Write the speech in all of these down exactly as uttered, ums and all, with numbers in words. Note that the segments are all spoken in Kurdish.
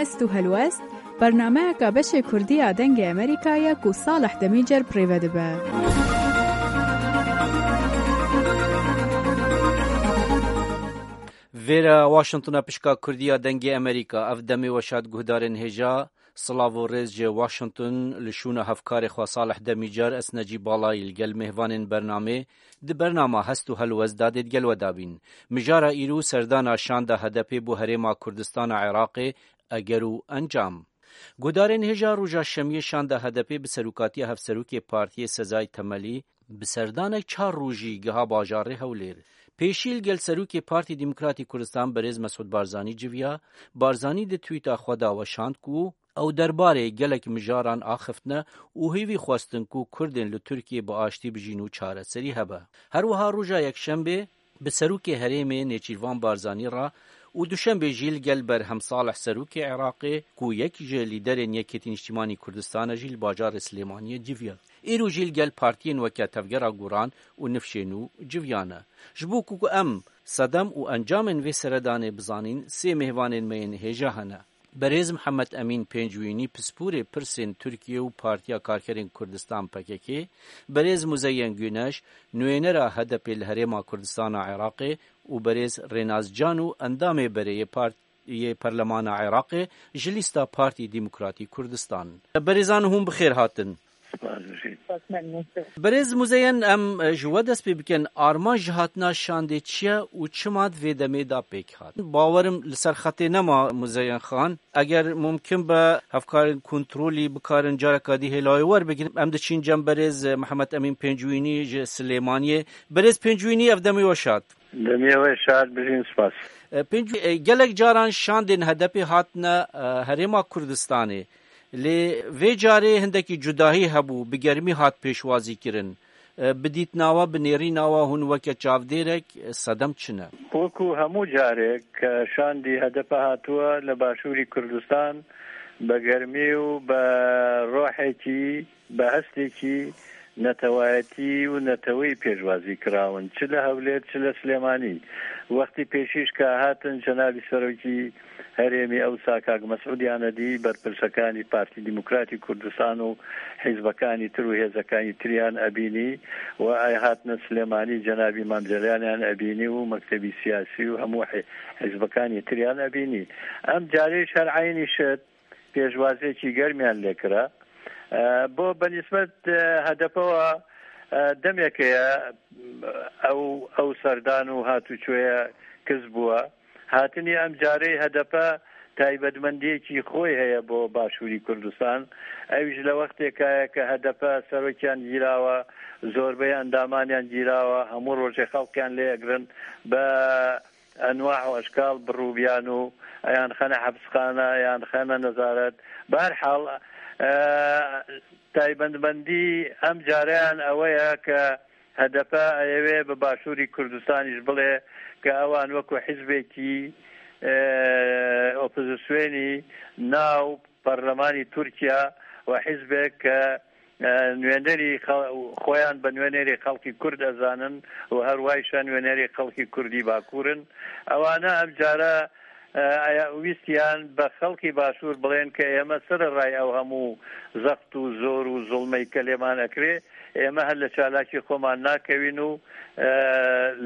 Hest û helwest, bernameyeka beşê Kurdî ya Dengê Amerîka ye ku Salih Demîcer bi rê ve dibe. Vêre Washingtona pişka Kurdî ya Dengê Amerîka, ev demê we şad guhdarên hêja, silav û rêz ji Washington li şûna hevkarê xwe Salih Demîcar, ez Necîb Balayî li gel mêvanên bernamê di bernama Hest û Helwest da dê digel we dabîn. Mijara îro serdana şanda H D P bo herêma Kurdistana Iraqê, eger û encam. Guhdarên hêja roja şemiyê şanda H D P bi serokatiya hevserokê partiyê Sezai Temelî bi serdanek çar rojî giha bajarê Hewlêr. Pêşî li gel serokê Partî Demokratî Kurdistan berêz Mesûd Barzanî civiya. Barzanî di twîta xwe de weşand ku ew derbarê gelek mijaran axiftine û hêvî xwestin ku Kurdên li Tirkiyê bi aştî bijîn û çareserî hebe. Her wiha roja yekşembê bi serokê herêmê Nêçîrvan Barzanî re û duşembê jî li gel Berhem Salih serokê Iraqê ku yek ji lîderên Yekêtî Niştîmanî Kurdistan e jî li bajarê Silêmaniyê civiya. Îro jî li gel partiyên weke Tevgera Goran û Nifşê Nû civiyane. Ji bo ku em sedem û encamên vê seredanê bizanîn, sê mêvanên me yên hêja hene. Berêz Mihemed Emîn Pêncwînî, pisporê pirsên Tirkiye û Partiya Karkerên Kurdistan, P K K, berêz Muzeyen Güneş, nûênera H D P li Herêma Kurdistana Iraqê û berêz Rênaz Cano, endamê berê yê Part-, yê Perlemana Iraqê ji lîsta Partî Demokratî Kurdistan. Berêzan, hûn bi xêr hatin. Spas, Rêşîd. Spas, memnûn. Berêz Muzeyen, em, e, ji we dest pê bikin. Armanc ji hatina şandê çi ye û çima di vê demê de pêk hat? Bawerim li ser xetê nema Muzeyen Xan. Eger mumkin be, hevkarên kontrolî bikarin careka dî hêla wê werbigirin. Em diçîn cem berêz, e, Mihemed Emîn Pêncwînî ji Silêmaniyê. Berêz Pêncwînî, ev demê we şad. Demê we şad, bijîn, spas. E, Pêncwî-, e, gelek caran şandên H D P hatine, e, Herêma Kurdistanê. Lê vê carê hindekî cudahî hebû, bi germî hat pêşwazîkirin. E, bi dîtina we, bi nêrîna we, hûn weke çavdêrek, e, sedem çi ne? Wekû hemû carek, e, şandî H D P hatiye li Başûrî Kurdistan, bi germî û bi rohekî, bi hestekî netewayetî û neteweyî pêşwazî kirawin, çi li Hewlêr, çi li Silêmanî. Wextî pêşî ji ka hatin, cenabî serokî herêmî ewsa kak Mesûd Yanedî, berpirsekanî Partî Demokratî Kurdistan û hîzbekanî tir û hêzekaniyan ebînî û ey hatine Silêmanî, cenabî Mam Celaliyan ebînî û mektebî siyasî û hemû hî-, hîzbekaniyan ebînî. Em carê ji her eynî şit pêşwaziyekî germiyan lê kira. E, bo benîsbet, e, H D P wa, e, demeke ye, ew, ew serdan û hatûçûye kiz bûye. Hatinî em carê H D P taybetmendiyekî xwe heye bo Başûrî Kurdistan. Ew ji le wextêka ye ke H D P serokiyan gîrawa, zorbeyê endamaniyan gîrawa, hemû rojê xelkiyan lê egirin. Be enwa û eşkal bi rûbiyan û yan xene hepsxane, yan xene nezaret. Bi her hal, e, taybetmendî em careyan ewe ye ke H D P eyewê bi Başûrî Kurdistanî ji bilê ke ewan wekû hizbekî, e, opozisyonî nav perlemanî Tirkiye û hizbek ke e, nûnerî xel-, xweyan bi nûnerê xelkî Kurd ezanin û her wayşa nûnerê xelkî Kurdî Bakur in. Ewana ev cara, e, aya wîstiyan bi xelkî Başûr bilên ke ême serê ray ew hemû zext û zor û zulmey ke lêman ekirê, ême her li çalakî xweman nakewîn û, e,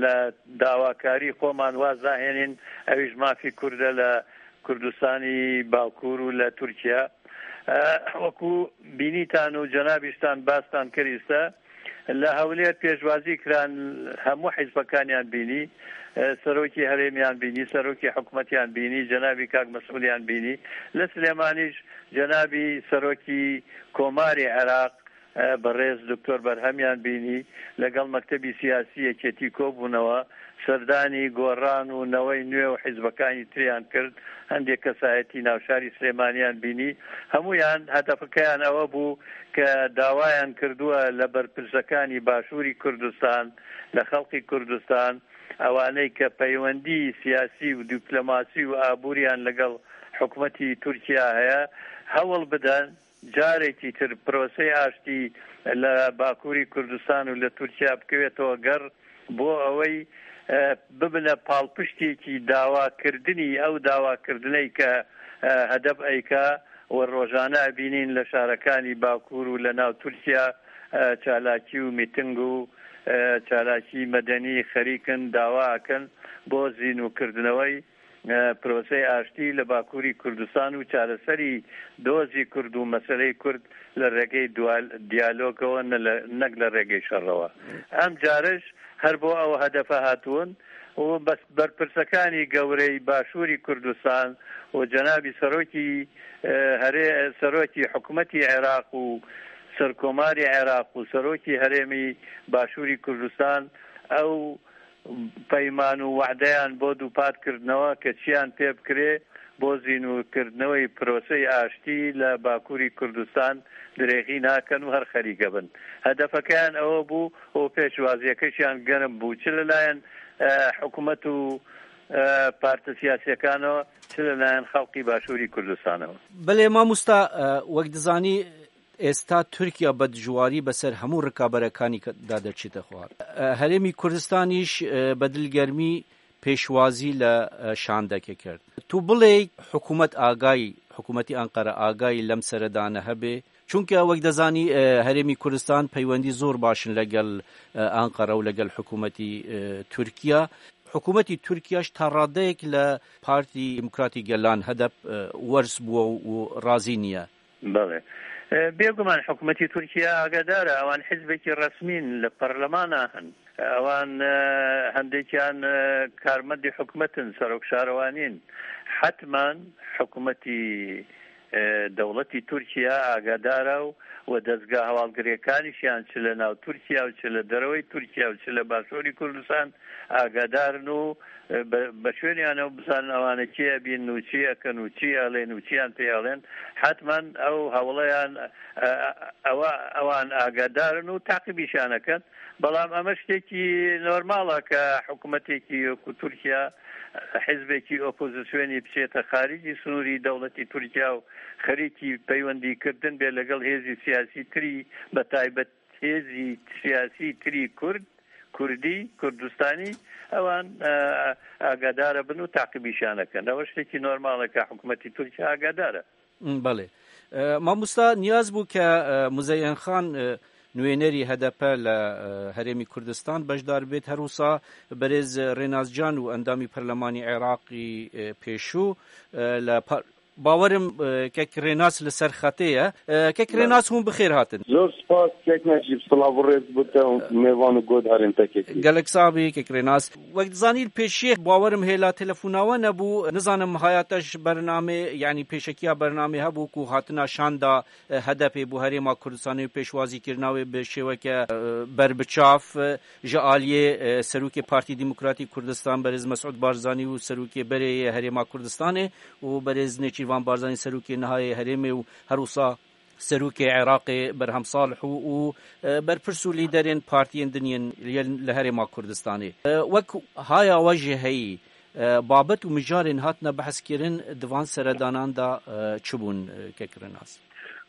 li dawakarî xweman waz nahênîn, ew ji mafî Kurd e li Kurdistanî Bakur û li Tirkiye. E, wekû bînîtan û cenabîştan bastan kirî se, li Hewlêr pêşwazî kiran hemû hizbekaniyan bînî, e, serokî herêmiyan bînî, serokî hikûmetiyan bînî, cenabî kak Mesûdiyan bînî. Li Silêmanî jî cenabî serokî Komarê Iraq, e, berêz Doktor Berhemiyan bînî, legel mektebî siyasî yekêtî kobûnewe, serdanî Goran û Newey Nû û hizbekaniyan tiriyan kir, hindê kesayetî navşarî Silêmaniyan bînî. Hemûyan hedefekeyan ewe bû ke dawayan kirduwe li berpirsekanî Başûrî Kurdistan, li xelkî Kurdistan, ewaney ke peywendî siyasî û dîplomasî û abûriyan legel hikûmetî Tirkiye heye, hewl bidin carekî tir proseyê aştî li Bakurî Kurdistan û li Tirkiye bikevêtewe ger, bo ewey, e, bibine palpiştêkî dawakirdinî, ew dawakirdiney ke, e, hedef eyka we rojane ebînîn le şarekanî Bakur û le nav Tirkiya, e, çalakî û mîting û, e, çalakî medenî xerîk in, dawa ekin bo zînûkirdinewey, e, proseyê aştî le Bakurî Kurdistan û çareserî dozî Kurd û meseleyê Kurd le regey dual-, diyalogewe ne le, nek le regey şerrewe. Em cariş her bo ew hedefe hatibûn û bes-, berpirsekanî gewrey Başûrî Kurdistan û cenabî serokî, e, herê-, serokî hikûmetî Iraq û serkomarê Iraq û serokî herêmî Başûrî Kurdistan ew peyman û wehdeyan bo dûpat kirdinewê ke çiyan pê bikirê, bo zînûkirdinewey proseyê aştî le Bakurî Kurdistan dirêxî nakin û her xerîke bin. Hedefekeyan ew bû û pêşwaziyekêşiyan germ bû. Çi li layên, e, hikûmet û, e, partî siyasiyekan e, çi li layên xelkî Başûrî Kurdistanê. Belê mamosta, e, wek dizanî, êsta Tirkiye bedijwarî beser hemû rikaberekanî ke-, de derçîte xwar. E, Herêmî Kurdistanîş, e, bedilgermî pêşwazî le, e, şandeke kerd. Tu bilê hikûmet agayî, hikûmetî Anqara agayî lem sere dane hebe? Çunke wek dezanî, e, Herêmî Kurdistan peywendî zor baş in legel, e, Anqara û legel hikûmetî, e, Tirkiye. Hikûmetî Tirkiye ji ta radeyek le Partî Demokratî Gelan, hedef, e, werz bûye û razî niye. Belê. E, bêguman hikûmetî Tirkiye agadar e, ewan hizbekî resmîn li perlemana hin. Ewan, e, hendekiyan, e, karmendî hikûmet in, serok şarewanîn. Hetman hikûmetî, e, dewletî Tirkiye agadar e û we dezga hevalgirêkanîşiyan çi li nav Tirkiye û çi li derewey Tirkiye û çi li Başûrî Kurdistan agadar in û, e, be-, beşwêniyan ew bizanin ewane çi ebîn û çi ekin û çi elên û çiyan pê elên. Hetman ew hewleyan, e, ewa, ewan agadar in û teqîbîşan ekin. Belam eme ştekî normal e ke hikûmetekî ku Tirkiye, hizbekî opozisyonî biçête xarîcî sinûrî dewletî Tirkiye û xerîkî peywendîkirdin bê legel hêzî siyasî tirî, be taybet hêzî siyasî tirî Kurd, Kurdî, Kurdistanî, ewan, e, agadar bin û teqîbîşan ekin. Ew ştekî normal e ke hikûmetî Tirkiye agadar e. Belê. E, mamosta niyaz bû ke, e, Muzeyyen Xan, e, nûênerî H D P le, e, Herêmî Kurdistan beşdar bêt. Her wisa berêz Rênas Can û endamî perlemanî Iraqî, e, pêşû, e, le par-, bawerim, e, kek Rênas li ser xetê ye. E, kek Belê. Rênas hûn bi xêr hatin. Zor spas, kek Necîb, silav û rêz bo te û mêvan û guhdarên te, kekî. Gelek sax bî, kek Rênas. Wek dizanî, li pêşiyê bawerim hêla telefona we nebû. Nizanim haya te ji bernamê, yanî pêşekiya bernamê hebû ku hatina şanda, e, H D P bo Herêma Kurdistanê û pêşwazîkirina wê bi şêweke, e, berbiçav, e, ji aliyê, e, Serokê Partî Demokratîk Kurdistan, berêz Mesûd Barzanî û Serokê berê yê Herêma Kurdistanê û berêz Nêçîrvan Barzanî, Serokê niha yê herêmê û her wisa Serokê Iraqê Berhem Salih û, û, e, berpirs û lîderên partiyên din yên li, li Herêma Kurdistanê. E, wek haya we jî heyî, e, babet û mijarên hatine behskirin di van seredanan de, e, çi bûn, e, kek Rênas?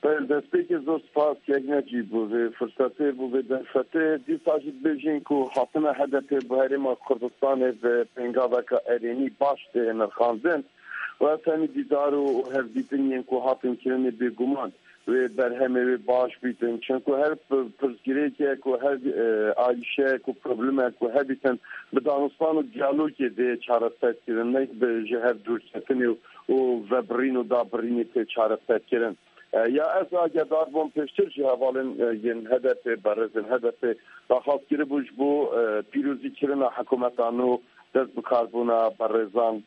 Belê, destpêkê zor spas kek Necîb bo vê firsetê, bo vê derfetê. Dîsa jî dibêjin ku hatina H D P bo Herêma Kurdistanê bi pêngaveka erênî baş tê nirxandin. Û ez hemî dîdar û, û hevdîtin yên ku hatin kirinê bêguman wê berhemê wê baş bîtin. Çimku her pi-, pirsgirêkek û her, e, alîşeyek û problemek ku hebîtin bi danistan û diyalogê dê çareser kirin, ne bi ji hev dûrketinê û, û vebirîn û dabirînê tê çareser kirin. E, ya ez agedar bûm pêştir jî hevalên, e, yên H D P, berêzên H D P daxwaz kiribû ji bo, e, pîrozîkirina hikûmeta nû, dest bi karbûna berêzan,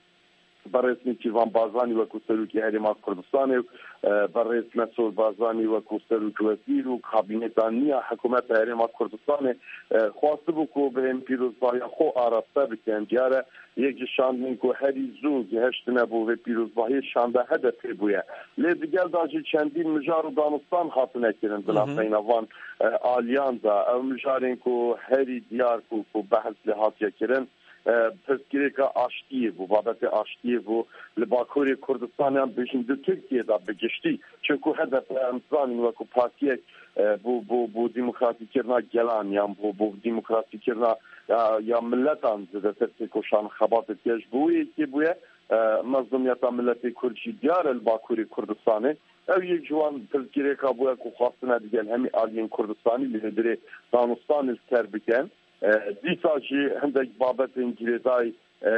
berêz Nêçîrvan Barzanî wekû Serokê Herêma Kurdistanê û, e, berêz Mesûd Barzanî wekû Serokê Wezîr û kabîneta nî ya Hikûmeta Herêma Kurdistanê, e, xwestibû ku bi hên pîrozbahiya xwe araste bikin. Diyar e, yek ji şandên ku herî zû gihiştine bo vê pîrozbahiyê şanda H D P bûye. Lê di gel de jî çendîn mijar û danistan hatine kirin bila Hı hı. beyna van, e, aliyan de. Ew mijarên ku herî diyar ku, ku behs lê hatiye kirin, e, pirsgirêka aştiyê bû, babetê aştiyê bû li Bakurê Kurdistanê, yan bêjin di Tirkiyê de bi giştî. Çunku H D P, em zanin, wekû partiyek, e, bû, bû, bû demokratîkirina gelan, yan bû, bû demokratîkirina ya, ya miletan zêdetir têkoşan xebatê diye, ji bo wê yekê bûye. E, mezlûmiyeta miletê Kurd jî diyar e li Bakurê Kurdistanê. Ew yek ji wan pirsgirêka bûye ku xwestine digel hemî aliyên Kurdistanî li hundirê danûstanê li ser bikin. E, dîsa jî hindek babetên girêdayî, e,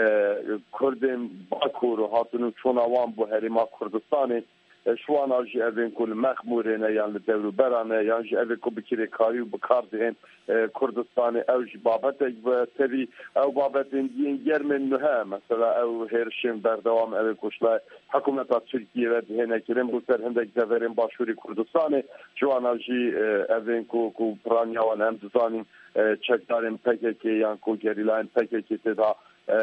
Kurdên Bakur û hatin û çûna wan bo herêma Kurdistanê, e, ji wana jî evên ku li Mexmûrê ne yan li dewrûbera ne, yan jî evê ku bi kirêkarî û bi kar dihên, e, Kurdistanê, ew jî babetek bi tevî ew babetên diyên germên nuhe, mesela ew hêrişên berdewam, ew ê ku ji lay hikûmeta Tirkiyê ve dihêne kirin bo ser hindek deverên Başûrê Kurdistanê, ji wana jî, e, evên ku, ku piraniya wan em dizanîn, e, çekdarên P K K yan ku gerîlayên P K K tê de, e,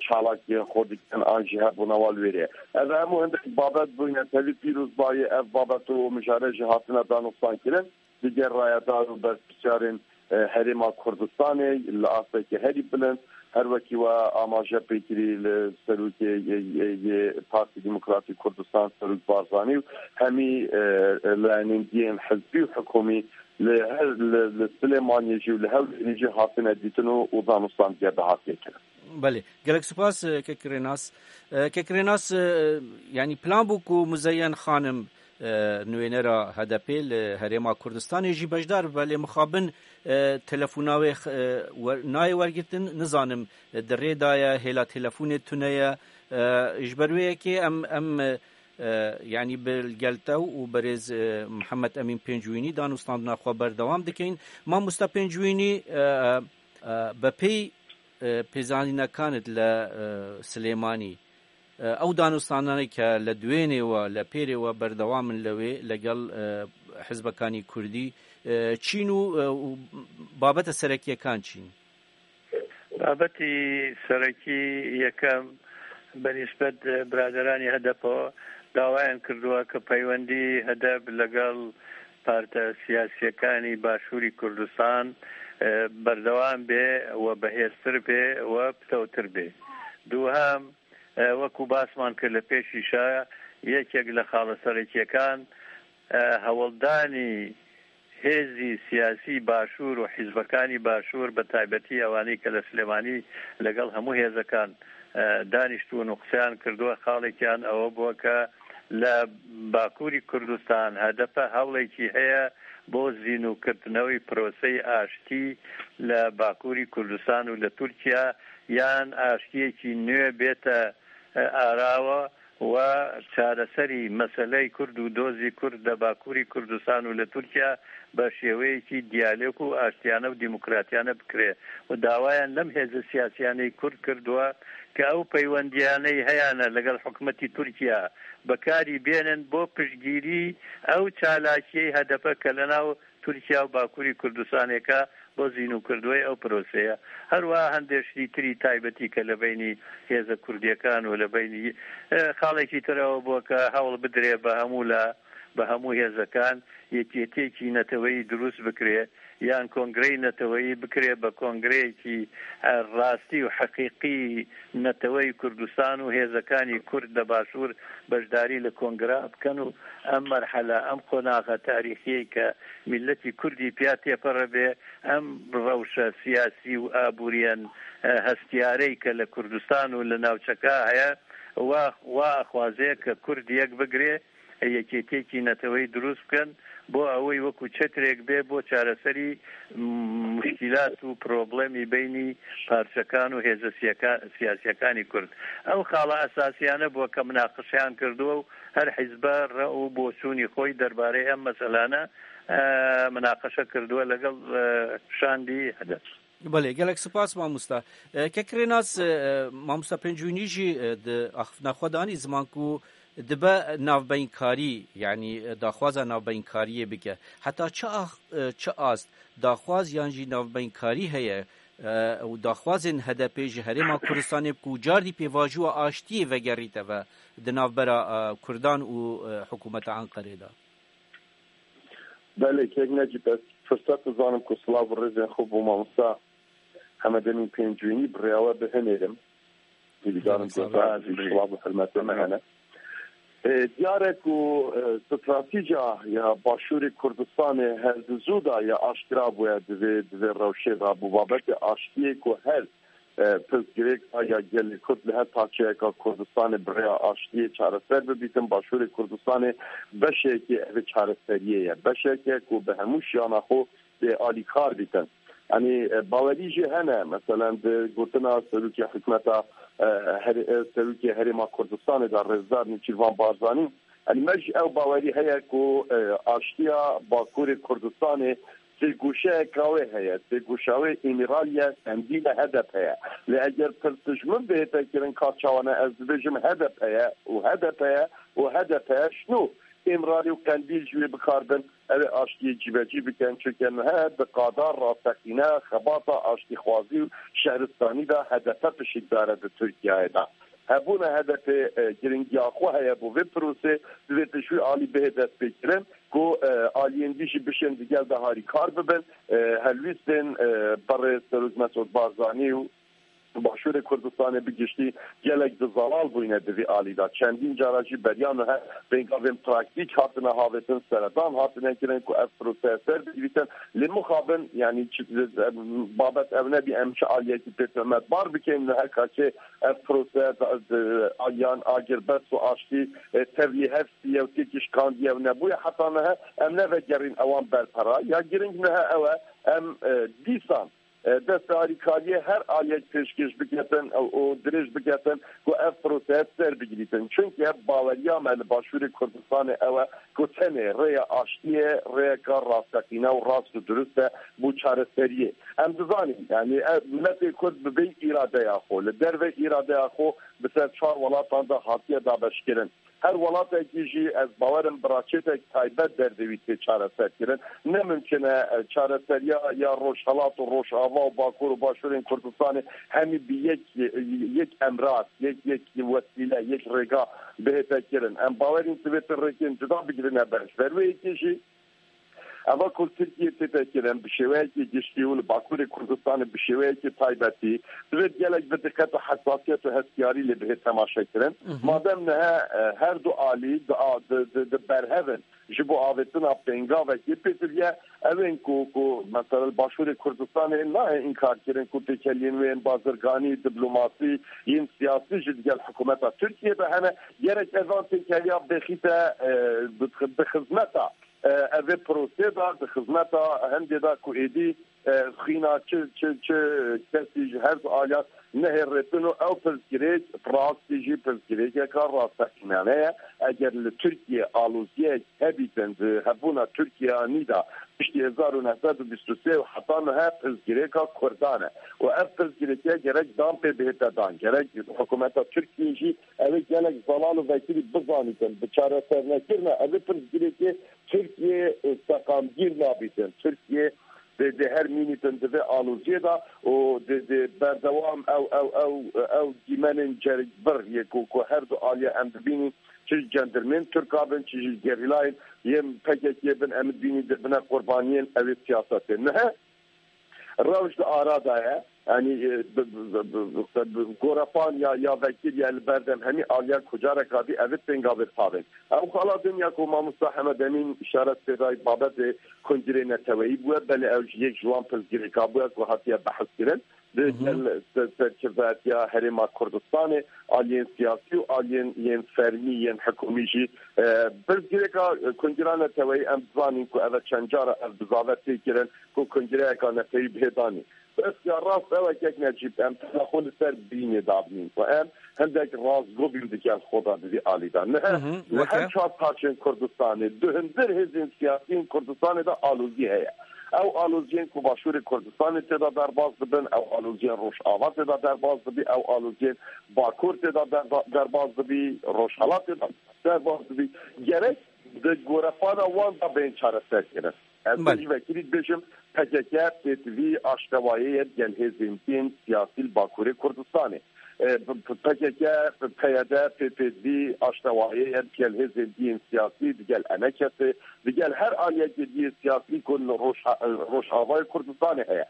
çalakiyên xwe dikin an jî hebûna wan li wêrê. Ev hemû hindek babet bûyne tevî pîrozbayî, ev babet û mijare jî hatine danûstan kirin. Digel rayedar û berpirsiyarên, e, Herêma Kurdistanê li asteke herî bilind, her wekî we amaje pêkirî li serokê yê, yê, yê Partî Demokratîk Kurdistan, Serok Barzanî û hemî, e, e, layenên diyên hizbî û hikûmî li her, li, li Silêmaniyê jî û li Hewlêrê jî hatine dîtin û, û danûstan diye dahatiye kirin. Belê. Gelek spas, e, Kek Rênas. E, Kek Rênas, e, yanî plan bû ku Muzeyyen Xanim, e, nûênera H D P li Herêma Kurdistanê jî beşdar bibe, lê mixabin, e, telefona wê, e, wer-, nayê wergirtin, nizanim, e, di rê de ye, hêla telefonê tune ye. E, ji ber wê yekê em, em, e, e, yanî bi gel te û berêz, e, Mihemed Emîn Pêncwînî danûstandina xwe berdewam dikeyin. Mamosta Pêncwînî, e, e, bi pey e, pêzanînekanit li, e, Silêmanî, e, ew danûstananê ke li duênê we, li pêrê we berdewam in li wê, legel, e, hizbekanî kurdî, e, çîn û, e, û babeta serekiyekan çîn? Babetî serekî yekem bi nisbet biraderanî H D P dawayan kirduwa ke peywendî H D P legel partî siyasîyekanî Başûrî Kurdistan, e, berdewam bê we bihêztir bê we pitewtir bê. Duhem, e, wekû basman kir li pêşîşa, yekek li xala serekîyekan, e, hewldanî hêzî siyasî Başûr û hîzbekanî Başûr, bi taybetî ewanî ke li Silêmanî legel hemû hêzekan, e, danîştibûn û qseyan kirduwe, xalekî yan ewe bûwe ke li Bakurî Kurdistan H D P hewlekî heye bo zînûkirtinewî proseyî aştî li Bakurî Kurdistan û li Tirkiye, yan aştiyekî nû bête, e, arawa we çareserî meseleyê Kurd û dozî Kurd li Bakurî Kurdistan û li Tirkiye bi şêweyekî diyalog û aştiyane û demokratiyane bikire û dawayan lem hêzê siyasiyanê Kurd kirduwe ke ew peywendiyaneyî heyane legel hikûmetî Tirkiye bi karî bênin bo piştgîrî ew çalakiyeyê H D P ke li nav Tirkiye û Bakurî Kurdistanê ke bo zînûkirduwê ew proseye. Her wiha hindê ştîtirî taybetî ke li beynî hêze kurdiyekan û li beynî, e, xalekî tire ew bû ke hewl bidire bi hemû la, bi hemû hêzekan yekîtiyekî neteweyî dirûst bikire, yan kongreyî neteweyî bikire bi kongreyekî, e, rastî û heqîqî neteweyî Kurdistan û hêzekanî Kurd li Başûr beşdarî li kongra bikin û em merhele, em qonaxa tarîxiyê ke miletî Kurdî piya têpere bê, em rewşe siyasî û aboriyên, e, hestiyareyî ke li Kurdistan û li navçeka heye, wa, wa axwaze ke Kurd yek bigire, yekîtiyekî neteweyî dirûst bikin, bo ewê wekû çetrêk bê bo çareserî, m-, muşkîlat û problemî beynî parçekan û hêze siyaka-, siyasiyekanî Kurd. Ew xala esasiyane bû ke minaqeşeyan kirduwe û her hizbe re û boçûnî xwe derbarê em meselane, e, minaqeşe kirduwe legel, e, şandî H D P. Belê, gelek spas mamosta. E, Kek Rênas, e, mamosta Pêncûnî jî, e, di axiftina xwe de anî ziman ku dibe navbeynkarî, yanî, e, daxwaza navbeynkariyê bike. Heta çi ax-, e, çi ast daxwaz yan jî navbeynkarî heye, e, û daxwazên H D P ji Herêma Kurdistanê ku cardî pêvajoya aştiyê vegerîte ve di navbera, e, Kurdan û, e, hikûmeta Enqerê de? Belê, kek Necîb, ez firset dizanim ku silav û rêzên xwe bo mamosta Hemedemîn Pêncwînî bi rêya we bihinêrim. Hêvîdarim ku sax be, silav û hurmetê me hene. E, diyar e ku, e, stratîca ya Başûrê Kurdistanê her di zû de ya aşkera bûye di vê, di vê rewşê de bû. Babetê aştiyê ku her, e, pirsgirêk a ya gelê Kurd li her parçeyeka Kurdistanê bi rêya aştiyê çareser bibîtin. Başûrê Kurdistanê beşekê ev çareseriyê ye. Beşeke ku bi hemû şiyana xwe tê alîkar bîtin. Yanî, e, bawerî jî hene, meselen di gotina serokê hikûmeta, e, her-, e, serokê Herêma Kurdistanê de Rêzdar Nêçîrvan Barzanî, yanî me jî ew bawerî heye ku, e, aştiya Bakurê Kurdistanê sêgoşeyeka wê heye, sêgoşa wê Îmraliye, Qendîl e, H D P ye. Lê eger pirs ji min bihête kirin ka çawa ne, ez dibêjim H D P ye û H D P ye û H D P ye şino Îmralî û Qendîl ji wê bikarbin. Ew ê aştiyê cîbecî bikin, çunke niha bi qada rasteqîne xebata aştîxwazî û şehristanî de H D P pişikdar e di Tirkiyeyê de. Hebûna H D P, e, giringiya xwe heye bo vê prosê, divê tu ji wî alî bihê destpêkirin ku, e, aliyên dî jî bişên digel de harîkar bibin, e, helwîstên, e, berê Serok Mesûd Barzanî û Başûrê Kurdistanê bi giştî gelek di zelal bûyne di vî alî de. Çendîn cara jî beriya niha pêngavên praktîk hatine havêtin, seredan hatine kirin ku ev proseya ser bigirîtin. Lê mixabin, yanî çi, babet ev nebî em çi aliyekî pê tohmetbar bikin. Niha kaçê ev proseya da, di, yan agirbest û aştî, e, tevlî hevsî ye û têkişkandiye û nebûye heta niha em nevegerîn ewan berpera. Ya giring niha ew e, em, e, dîsan e, destê alîkariyê her aliyek pêşkêş biketin û, û dirêj biketin ku ev proseya ser bigirîtin. Çunke baweriya me li Başûrê Kurdistanê ew e ku tenê rêya aştiyê rêyeka rasteqîne û rast û dirust e bo çareseriyê. Em dizanîn, yanî, ev miletê Kurd bi vê îradeya xwe, li derve îradeya xwe bi ser çar welatan de hatiye dabeşkirin. Her welatekî jî ez bawer im bi raçetek taybet derdê wî tê çareserkirin. Ne mimkun e, e, çareseriya ya Rojhelat û Rojava û Bakur û Başûrên Kurdistanê hemî bi yek, yek emrad, yek, yek wesîle, yek rêga bihête kirin. Em bawer in divê tu rêkên cuda bigirine ber. Ji ber wê yekê jî Eva ku li Tirkiyê tête kirin bi şêweyekî giştî û li Bakurê Kurdistanê bi şêweyekî taybetî, divê gelek bi diqet û hesasiyet û hestiyarî lê bihê temaşekirin. Mhm. Madem niha, e, her du alî di, di, di, di berhev in ji bo avêtina pêngavekê, pêdiviye ew ên ku, ku mesela li Başûrê Kurdistanê nahê înkar kirin ku têkeliyên wê yên bazirganî, diplomasî, yên siyasî jî digel hikûmeta Tirkiyê de hene. Gerek evan têkeliya bêxîte, e, bi, bi xizmeta e, ev ê prosê de di xizmeta hindê de ku êdî, e, xwîna çi, çi, çi kesî ji her du aliyan nehêrêtin û ew pirsgirêk rastî jî pirsgirêkeka rasteqînane ye. Eger li Tirkiye aloziyek hebîtin di hebûna Tirkiyeyanî de piştî hezar û neh sed û bîst û sê û heta niha pirsgirêka Kurdan e. Û ev pirsgirêke gerek dan pê bihête dan, gerek hikûmeta Tirkiyê jî ew ê gelek zelal û vekirî bizanîtin. Bi çaresernekirina ev ê pirsgirêkê Tirkiye, e, seqamgîr nabîtin. Tirkiye dê, dê her mînîtin di vê aloziyê de û dê, dê berdewam ew, ew, ew, ew dîmenên ceribir yê ku, ku her du aliya em dibînin, çi ji cendirmên Tirka bin, çi jî gerîlayên yên P K K bin, em dibînin dibine qurbaniyên ew ê siyasetê. Niha rewş di ara de ye. Yanî, e, bi, bi, bi, bi, bi, bi, gorefan ya, ya vekir ya li berdem hemî aliya ku careka dî ev ê pêngavê pavên. Ew xala din ya ku mamosta Hemed Emîn îşaret pê dayî babetê kongirê neteweyî bûye, belê ew jî yek ji wan pirsgirêka bûye ku hatiye behs kirin. Di Mhm. gel ser-, serkirdayetiya Herêma Kurdistanê, aliyên siyasî û aliyên yên fermî, yên hikûmî jî, e, pirsgirêka, e, kongira neteweyî em dizanîn ku ev e çend cara ev bizave tê kirin ku kongireyeka netewî bihê danîn. Bes ya rast ew e kek Necîb, em tena xwe li ser bînê dabînin ku em hindek rastgo bîn di gel xwe de di vî alî de. Niha Mhm, li her weke? çar parçên Kurdistanê, di hundir hêzên siyasî yên Kurdistanê de alozî heye. Ew aloziyên ku Başûrê Kurdistanê tê de derbas dibin, ew aloziyên Rojava tê de derbas dibî, ew aloziyên Bakur tê de derba-, derbas dibî, Rojhelat tê de derbas dibî. Gerek di gorefana wan de bên çareser kirin. Ez Belê. jî vekirî dibêjim, P K K pêtivî aştewayê ye digel hêzên din siyasî li Bakurê Kurdistanê. E, P K K, P Y D, P P D aştewayê ye digel hêzên din siyasî, digel E N K S, digel her aliyekê din siyasî ku li Roj-, Rojavayê Kurdistanê heye.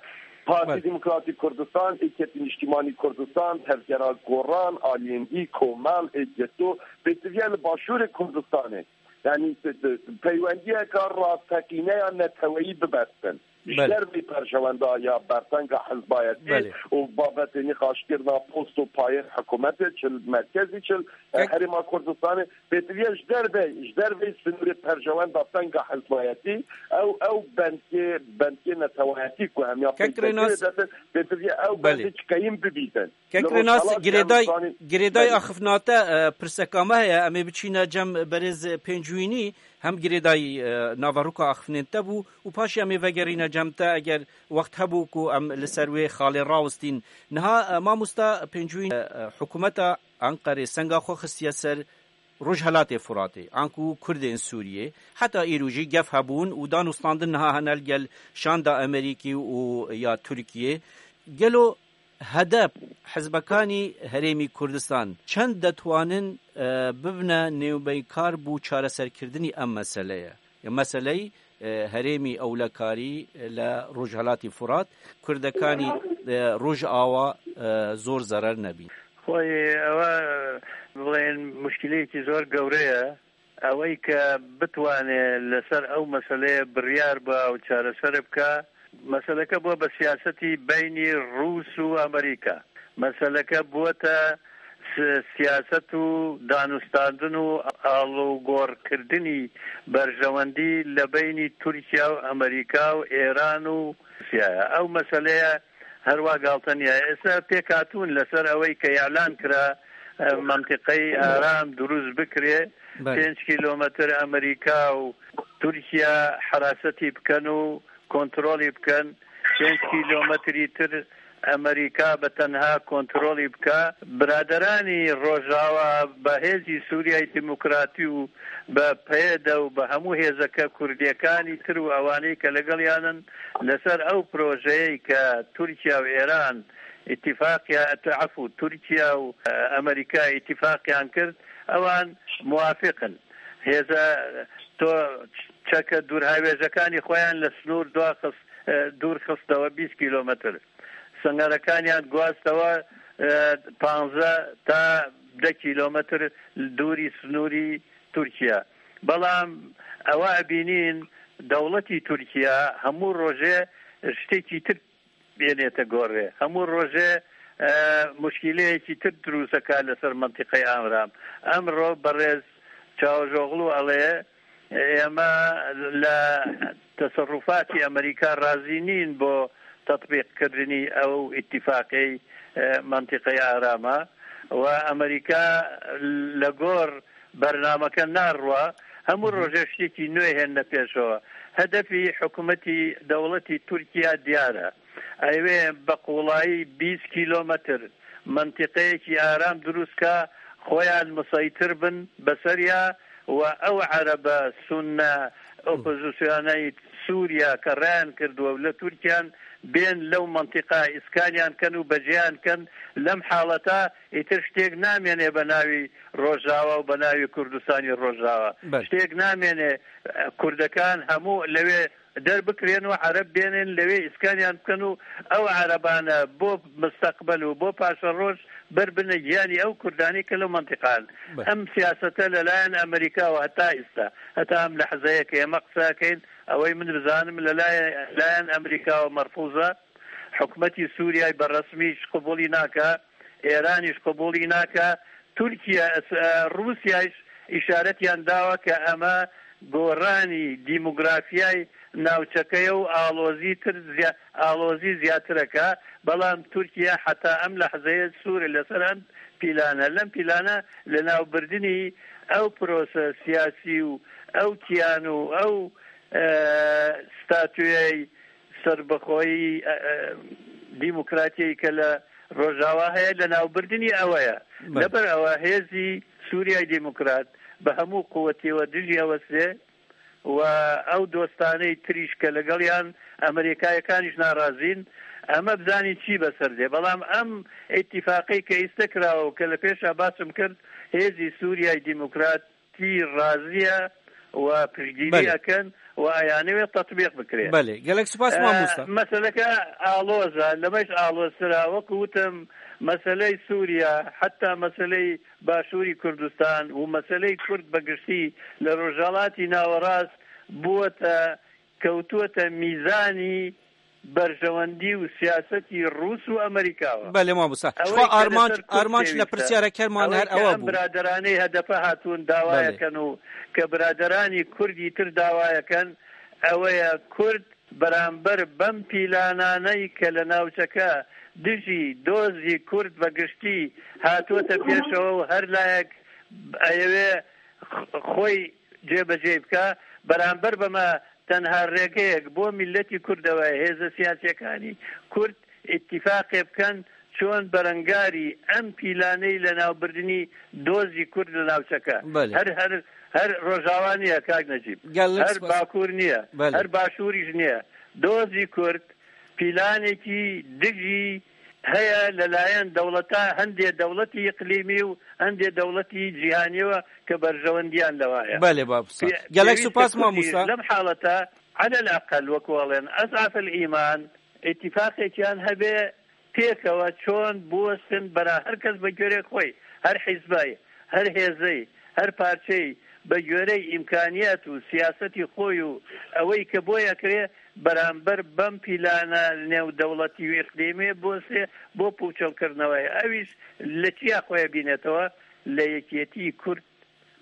Partî Belê. Demokratîk Kurdistan, Êketî Niştîmanî Kurdistan, Tevgera Goran, Aliyên Dî, Komel, Êketo, pêtiviye li Başûrê Kurdistanê. Yanî, t-, t-, peywendiyeka rasteqîne ya neteweyî bibestin. Ji Belê. Derveyî perjewenda ya bertenga hizbayetî Belê. Û babetê nîqaşkirina post û payên hikûmetê, çi li merkezî, çi li, Kek- Herêma Kurdistanê, pêtiviye ji derveyî, ji derveyî sinûrê perjewenda tenga hizbayetî, ew, ew bendkê, bendkê netewayetî ku hemiya Kek pêşveçûyê Rênas detin, pêtiviye ew Belê. Bendê çi qeyîm bibîtin. Kek Li Rênas, Rojhela girêday, Kurdistanê girêday Belê. Axifnate, e, pirseka me heye. Em ê biçîne cem berêz Pêncûyînî, hem girêdayî, e, naveroka axifnên te bû û paşê em ê vegerîne cem te eger wext hebû ku em li ser wê xalê rawistîn. Niha, e, mamosta Pêncûyîn, e, e, hikûmeta Enqerê senga xwe xistiye ser Rojhelatê Furatê, anku Kurdên Sûriyê, heta îro jî gef hebûn û danûstandin niha hene li gel şanda Amerîkî û ya Tirkiyê. Gelo HDP, hizbekanî Herêmî Kurdistan, çend detwanin, e, bibine nêwbeynkar bo çareserkirdinî em meseleye? Ya meseleyî, e, herêmî ewlekarî li Rojhelatî Furat, Kurdekanî, e, Rojava, e, zor zerer nebîn. Xweyê ewe, e, bڵێن مشکلەیەکی زۆر گەورەیە. ئەوەی کە بتوانێ لەسەر ئەو مەسەلەیە بڕیار بە و چارەسەر بکە، مەسەلەکە بووە بە سیاسەتی بینی ڕووس و ئەمریکا. مەسەلەکە بووەتە س-، سیاسەت و دانوستاندن و ئاڵوگۆڕکردنی بەرژەوەندی لە بینی تورکیا و ئەمریکا و ئێران و رووسیایە. ئەو مەسەلەیە هەروا گاڵتە نییە. ئێستا پێکهاتوون لەسەر ئەوەی کە ئیعلان کرا، ئە، مەنتیقەی ئارام دروست بکرێ، بەڵێ. پێنج کیلۆمەتر ئەمریکا و تورکیا حراسەتی بکەن و کۆنترۆلی بکەن، پێنج کیلۆمەتری تر ئەمریکا بە تەنها کۆنترۆلی بکە. برادەرانی ڕۆژاوا بە هێزی سووریای دیموکراتی و بە پەیەدە و بە هەموو هێزەکە کوردیەکانی تر و ئەوانەی کە لەگەڵیانن لەسەر ئەو پرۆژەیەی کە تورکیا و ئێران ئیتیفاقیان، عەفو، تورکیا و، ئە، ئەمریکا ئیتیفاقیان کرد، ئەوان موافقن. هێزە تۆ چەکە دوورهاوێژەکانی خۆیان لە سنوور دواخست، ئە، دوور خستەوە بیست کیلۆمەتر. سنگەرەکانیان گواستەوە، ئە، پانزە تا دە کیلۆمەتر دووری سنووری تورکیا. بەڵام ئەوە ئەبینین دەوڵەتی تورکیا هەموو ڕۆژێ شتێکی تر بێنێتە گۆڕێ. هەموو ڕۆژێ، ئە، مشکلەیەکی تر دروستەکە لەسەر مەنتیقەی ئامرام. ئەمڕۆ بەڕێز چاوەژۆغڵو ئەڵێ، ئێمە لە تەسەڕوفاتی ئەمریکا ڕازی نین بۆ تەطبیقکردنی ئەو ئیتیفاقەی، ئە، مەنتیقەی ئارامە و ئەمریکا لە گۆڕ بەرنامەکە ناڕوا، هەموو ڕۆژێ شتێکی نوێ هێنە پێشەوە. هەدەفی حکوومەتی دەوڵەتی تورکیا دیارە. ئەوێ بە قوڵایی بیست کیلۆمەتر مەنتیقەیەکی ئارام دروستکە، خۆیان مسەیتر بن بەسەریا و ئەو عەرەبە سونە ئۆپۆزیسیۆنەی سووریا کە ڕایان کردووە و لە تورکیان بێن لەو مەنتیقە ئیسکانیان کەن و بەجێیان کەن. لەم حاڵەتە ئیتر شتێک نامێنێ بە ناوی ڕۆژاوا و بە ناوی کوردستانی ڕۆژاوا. بەڵێ. شتێک نامێنێ، کوردەکان هەموو لەوێ دەربکرێن و عەرەب بێنن لەوێ ئیسکانیان بکەن و ئەو عەرەبانە بۆ مستەقبەل و بۆ پاشەڕۆژ بەر بنە گیانی ئەو کوردانی کە لەو مەنتیقان. بەڵێ. ئەم سیاسەتە لەلایەن ئەمریکاوە هەتا ئێستا، هەتا ئەم لەحزەیە کە ئێمە قسەکەین، ئەوەی من بزانم لەلایەن، لایەن ئەمریکاوە مەرفوزە، حکومەتی سووریای بە ڕەسمیش قبوڵی ناکە، ئێرانیش قبوڵی ناکە، تورکیا، ئەس-، ئە، ڕووسیایش ئیشارەتیان داوە کە ئەمە گۆڕانی دیموگرافیای ناوچەکەیە و ئاڵۆزی تر زیا-، ئاڵۆزی زیاترەکە، بەڵام تورکیا حتا ئەم لەحزەیە سوورە لەسەر ئەم پیلانە. لەم پیلانە لە ناوبردنی ئەو پرۆسە سیاسی و ئەو کیان و ئەو، ئە، ستاتویای سەربەخۆیی، ئە، ئە، دیموکراتیی کە لە ڕۆژاوا هەیە، لە ناوبردنی ئەوەیە. بەڵێ. لەبەر ئەوە هێزی سووریای دیموکرات بە هەموو قووەتیەوە دژی ئەوەسێ و ئەو دۆستانەی تریش کە لەگەڵیان ئەمریکایەکانیش ناڕازین، ئەمە بزانین چی بەسەر دێ. بەڵام ئەم ئیتیفاقی کە ئیستە کراوە و کە لە پێشا باسم کرد، هێزی سووریای دیموکراتی ڕازیە و پشتگیری Belê. ئەکەن و ئەیانەوێت تەطبیق بکرێت. Belê. Gelek spas, e, mamosta. Meseleke aloz e, lemeş aloztir e. Wekî wî gotim, meseley Sûriye, heta meseley Başûrî Kurdistan û meseley Kurd bi giştî li Rojhelatî Nawerast bûwete, kewtûwete mîzanî berjewendî û siyasetî Rûs û Amerîka ve. Belê, mamosta. Ji Ew xwe ê ke armanc, li ser Kurd armanc li pêwîst e. Pirsiyara kerman Ew ê her ke ewa em bû. Biraderanê H D P hatûn dawa Belê. Ekin û ke biraderanî Kurd îtir dawa ekin, ew ê Kurd beramber bem pîlananey ke li navçeke dijî dozî Kurd ve giştî hatote pêşewe û her layek eyewê xwey cêbecê bike, beramber beme tenha rêgeyek bo milletî Kurd ew e, hêze siyasiyekanî Kurd îtîfaqê bikin, çon berengarî em pîlaney li navbirdinî dozî Kurd li navçeke. Belê. Her, her, her Rojava niye kak Necîb. Gelek Her spas. Bakur niye. Belê. Her Başûrî jî niye. Dozî Kurd, pîlanekî dijî heye li layen dewleta, hindê dewletî îqlîmî û hindê dewletî cîhanî ve ke berjewendiyan lewa ye. Belê, mamosta. Pê-, Gelek pêwîst spas, Kurdî mamosta. Lem haleta, elel eqel, wek welên, ezafel îman, îtîfaqekiyan hebe pêkewe çon biwestin bera her kes bi görê xwe, her hizbay, her hêzey, her parçey, bi görey îmkaniyet û siyasetî xwe û ewey ke boye kirê, beramber bem pîlana nêwdewletî û îqlîmê bo sê, bo pûçelkirneweyê. Ew îş li çiya xwe ye bînetewe, li yekîtî Kurd,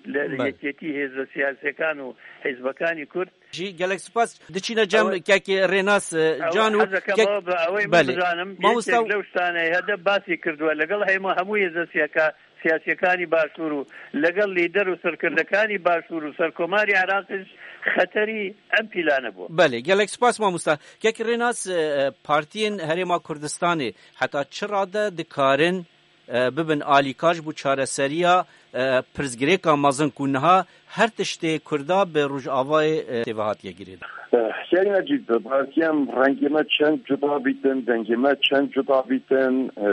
li Belê. Yekîtî hêza siyasîyekan û hizbekanî Kurd. Jî gelek spas. Diçîne cem Ew e, kekê Rênas, e, ew e, Can û hezeke kek-, me bi ew ê min Belê. Bizanim, Mamosta yekek lew ştanê hede basî kirduwe. Legel hema hemû hêza siyaka-, siyasîyekanî Başûr û legel lîder û serkirdekî Başûr û serkomarî Iraqê jî xeterî em pîlane bû. Belê, gelek spas mamosta. Kek Rênas, e, partiyên Herêma Kurdistanê heta çi rade dikarin, e, bibin alîkar ji bo çareseriya, e, pirsgirêka mezin ku niha her tiştê Kurda bi Rojavayê, e, tê ve hatiye girêdan? Eh, Hikayê Necîb, belkî em rengê me çend cuda bîtin, dengê me çend cuda bîtin, e,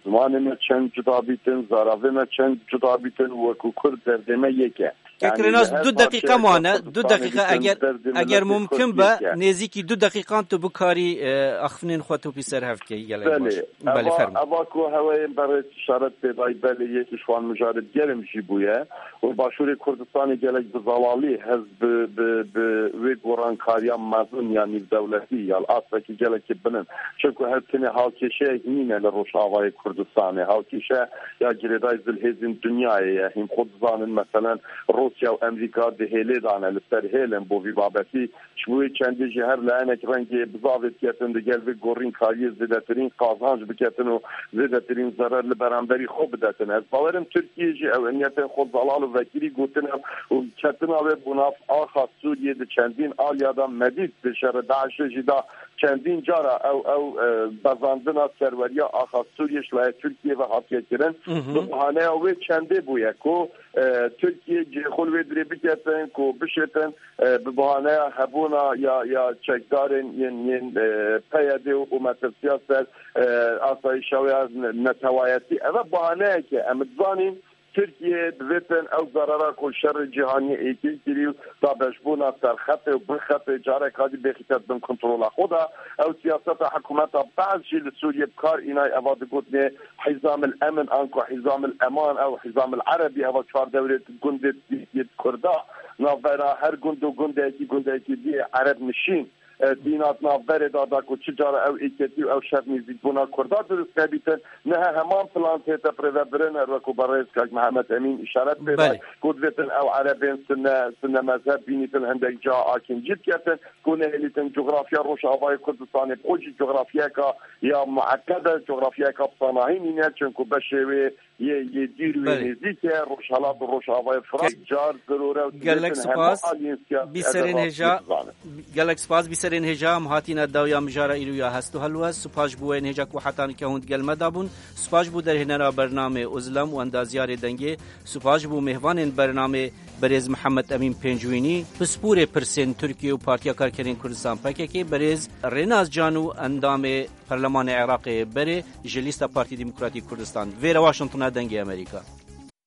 zimanê me çend cuda bîtin, zaravê me çend cuda bîtin, wekî Kurd derdê me yek e. Kek Rênas, du deqîqe mane, du deqîqe, eger, eger mumkin be, nêzîkî du deqîqan tu bikarî, e, axiftinên xwe topî ser hev bikey, gelek baş. Belê, Belê, eva, fermo. Eva ku hewayên berêz îşaret pê dayî, belê, yek ji wan mijarê digerim jî bûye û Başûrê Kurdistanê gelek bi zelalî hez bi, bi, bi wê gorankariya mezin ya nîvdewletî ya li astekî gelekî bilind. Çimku her tenê halkêşeyek nîne li Rojavayê Kurdistanê. Halkêşe ya girêdayî zilhêzên dinyayê ye. Hîn xwe dizanin, meselen, Rûsya û Amerîka di hêlê de ne, li ser hêl in bo vî babetî. Ji bo wê çendê jî her layenek rengê bizavê diketin, digel vê gorînkariyê zêdetirîn qazanc biketin û zêdetirîn zerer li beramberî xwe bidetin. Ez bawerim Tirkiye jî ew niyetên xwe zelal û vekirî gotine û ketina wê bo nav axa Sûriyê di çendîn aliya de me dît, di şerê DAIŞê jî de çendîn cara ew, ew, e, bezandina serweriya axa Sûriyê ji layê Tirkiye ve hatiye kirin. Mhm. Bi bahaneya wê çendê bûye ku, e, Tirkiye cihê xwe li wê dirê biketin, ku bişêtin, e, bi bahaneya hebûna ya, ya çekdarên yên, yên, e, P Y D û, û metirsiya ser, e, asayîşa wê ya ne-, netewayetî. Ev e bahaneyek e. Em dizanîn Tirkiye divêtin ew zerera ku şerê cîhanî êkê kirî û dabeşbûna serxetê û bin xetê careka dî bêxîte bin kontrola xwe de. Ew siyaseta hikûmeta Be'es jî li Sûriyê bi kar înay, eva digotinê Hîzamil Emin, anku Hîzamil Eman, ew Hîzamil Erebî, eva çar dewrê gundê Tirkiye Kurda, navbera her gund û gundekî, gundekî dî Ereb nişîn, e, dîna di navberê de, da ku çi cara ew êketî û ew şer nêzîkbûna Kurda dirust nebîtin, niha heman plan tête birêvebirin, her wekû berêz kak Mihemed Emîn îşaret pê da, Belê. Ku divêtin ew Erebên sine, sine mezheb bînîtin hindek ca akincî diketin, ku nehêlîtin cografya Rojavayê Kurdistanê, bi xwe jî cografyayeka ya mueqed e, cografyayeka bi sanahî nîne, çimku beşê wê yê, yê dîr wê Belê. Nêzîk e, Rojhelat û Rojavayê Firat, Ke-, car zirûre û gelek divêtin hemû spas. Aliyên siyasî Bîserên hêja, bizanin. Gelek spas, bîserên hêja, em hatîne dawiya mijara îro ya hest û helwest. Spas ji bo wê hêja ku heta nike hûn digel me de bûn. Spas ji bo derhênera bernamê Uzlem û endaziyarê dengê. Spas ji bo mêvanên bernamê berêz Mihemed Emîn Pêncwînî, pispûrê pirsên Tirkiye û Partiya Karkerên Kurdistan P K K, berêz Rênas Can û endamê Perlemanê Iraqê berê ji lîsta Partî Demokratîk Kurdistan. Vêre Washingtona Dengê Amerîka.